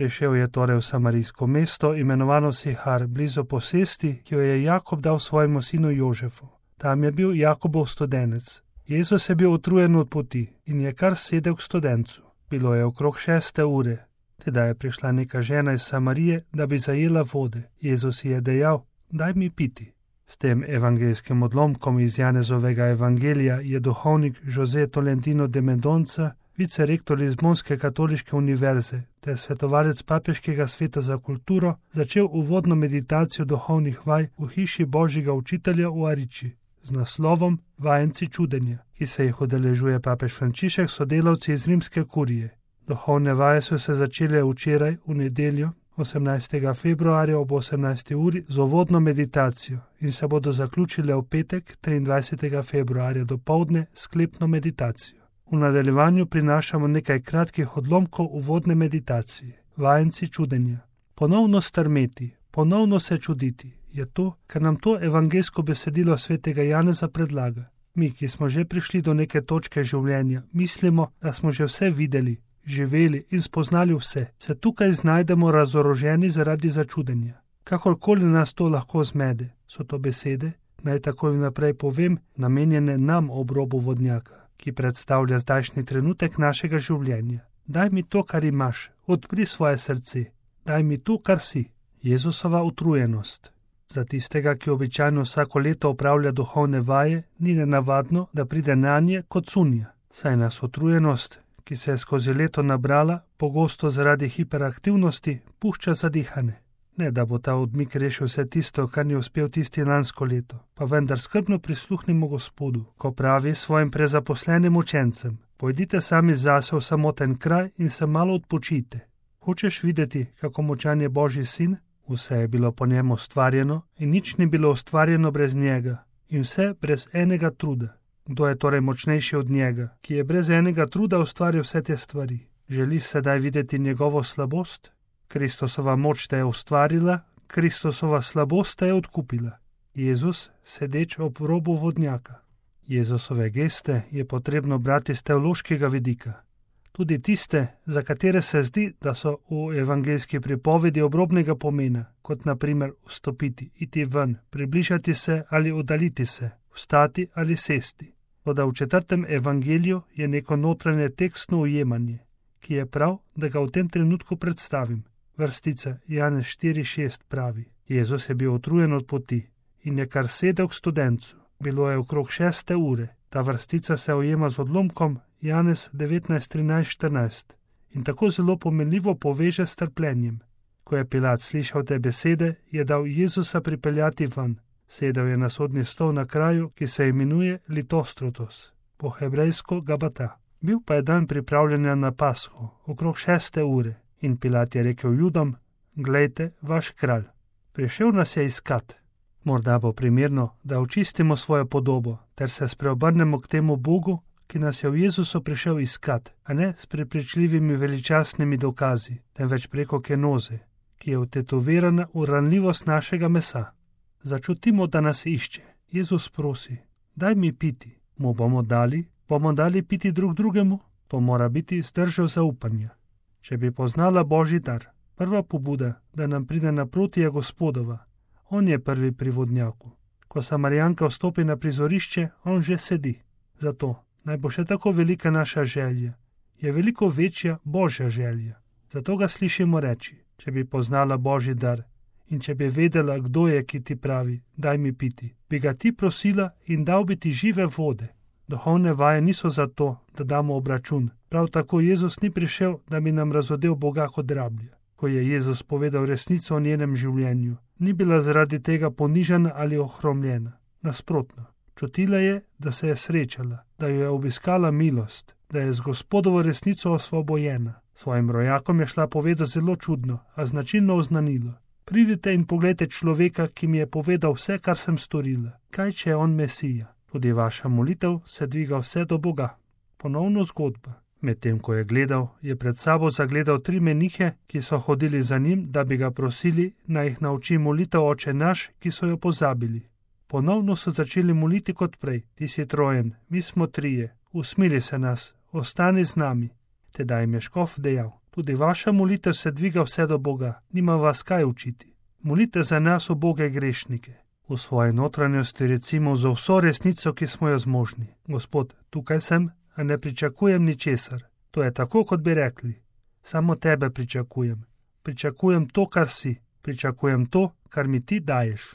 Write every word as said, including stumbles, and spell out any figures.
Prišel je torej v samarijsko mesto, imenovano Sihar, blizu posesti, ki jo je Jakob dal svojemu sinu Jožefu. Tam je bil Jakobov studenec. Jezus je bil utrujen od poti in je kar sedel k studencu. Bilo je okrog šeste ure. Teda je prišla neka žena iz Samarije, da bi zajela vode. Jezus ji je dejal: daj mi piti. S tem evangelskim odlomkom iz Janezovega evangelija je duhovnik José Tolentino de Mendonca, vicerektor Lizbonske katoliške univerze ter svetovalec papeškega sveta za kulturo, začel uvodno meditacijo duhovnih vaj v hiši Božjega učitelja v Ariči z naslovom Vajenci čudenja, ki se jih udeležuje papež Frančišek s sodelavci iz rimske kurije. Duhovne vaje so se začele včeraj v nedeljo, osemnajstega februarja ob osemnajsti uri z uvodno meditacijo in se bodo zaključile v petek, triindvajsetega februarja dopoldne s sklepno meditacijo. V nadaljevanju prinašamo nekaj kratkih odlomkov uvodne meditacije. Vajenci čudenja. Ponovno strmeti, ponovno se čuditi, je to, kar nam to evangelsko besedilo svetega Janeza predlaga. Mi, ki smo že prišli do neke točke življenja, mislimo, da smo že vse videli, živeli in spoznali vse, se tukaj znajdemo razoroženi zaradi začudenja. Kakorkoli nas to lahko zmede, so to besede, naj takoj naprej povem, namenjene nam ob robu vodnjaka, ki predstavlja zdajšnji trenutek našega življenja. Daj mi to, kar imaš, odpri svoje srce, daj mi to, kar si. Jezusova utrujenost. Za tistega, ki običajno vsako leto opravlja duhovne vaje, ni nenavadno, da pride nanje kot cunja. Saj nas utrujenost, ki se je skozi leto nabrala, pogosto zaradi hiperaktivnosti, pušča zadihane. Ne, da bo ta odmik rešil vse tisto, kar ni uspel tisti lansko leto, pa vendar skrbno prisluhnimo Gospodu, ko pravi svojim prezaposlenim učencem: pojdite sami zase v samoten kraj in se malo odpočite. Hočeš videti, kako močan je Božji sin? Vse je bilo po njemu ustvarjeno in nič ni bilo ustvarjeno brez njega in vse brez enega truda. Kdo je torej močnejši od njega, ki je brez enega truda ustvaril vse te stvari? Želiš sedaj videti njegovo slabost? Kristosova moč te je ustvarila, Kristosova slabost te je odkupila. Jezus, sedeč ob robu vodnjaka. Jezusove geste je potrebno brati z teološkega vidika. Tudi tiste, za katere se zdi, da so v evangelski pripovedi obrobnega pomena, kot na primer vstopiti, iti ven, približati se ali oddaliti se, vstati ali sesti. Toda v četrtem evangeliju je neko notranje tekstno ujemanje, ki je prav, da ga v tem trenutku predstavim. Vrstica Janez štiri šest pravi: Jezus je bil utrujen od poti in je kar sedel k studencu. Bilo je okrog šeste ure. Ta vrstica se ujema z odlomkom Janez devetnajst trinajst štirinajst in tako zelo pomenljivo poveže s trpljenjem. Ko je Pilat slišal te besede, je dal Jezusa pripeljati ven. Sedel je na sodni stol na kraju, ki se imenuje Litostrotos, po hebrejsko Gabata. Bil pa je dan pripravljanja na Pasho, okrog šeste ure, in Pilat je rekel Judom: glejte, vaš kralj. Prišel nas je iskat. Morda bo primerno, da očistimo svojo podobo, ter se spreobrnemo k temu Bogu, ki nas je v Jezusu prišel iskat, a ne s prepričljivimi veličastnimi dokazi, temveč preko kenoze, ki je vtetovirana v ranljivost našega mesa. Začutimo, da nas išče. Jezus prosi: daj mi piti. Mu bomo dali, bomo dali piti drug drugemu. To mora biti zdržal zaupanja. Če bi poznala Božji dar, prva pobuda, da nam pride naproti, je Gospodova. On je prvi pri vodnjaku. Ko Samarijanka vstopi na prizorišče, on že sedi. Zato naj bo še tako velika naša želja, je veliko večja Božja želja. Zato ga slišimo reči: če bi poznala Božji dar in če bi vedela, kdo je, ki ti pravi: daj mi piti, bi ga ti prosila in dal bi ti žive vode. Duhovne vaje niso zato, da damo obračun. Prav tako Jezus ni prišel, da bi nam razodel Boga kot rablja. Ko je Jezus povedal resnico o njenem življenju, ni bila zaradi tega ponižana ali ohromljena. Nasprotno, čutila je, da se je srečala, da jo je obiskala milost, da je z Gospodovo resnico osvobojena. Svojim rojakom je šla povedati zelo čudno, a značilno oznanilo: pridite in poglejte človeka, ki mi je povedal vse, kar sem storila. Kaj, če je on Mesija? Tudi vaša molitev se dviga vse do Boga. Ponovno zgodba. Medtem ko je gledal, je pred sabo zagledal tri menihe, ki so hodili za njim, da bi ga prosili, naj jih nauči molitev Oče naš, ki so jo pozabili. Ponovno so začeli moliti kot prej: ti si trojen, mi smo trije, usmili se nas, ostani z nami. Tedaj jim je škof dejal: Tudi vaša molitev se dviga vse do Boga, nima vas kaj učiti. Molite za nas, uboge grešnike. V svoji notranjosti recimo za vso resnico, ki smo jo zmožni. Gospod, tukaj sem, a ne pričakujem ničesar. To je tako, kot bi rekli. Samo tebe pričakujem. Pričakujem to, kar si. Pričakujem to, kar mi ti daješ.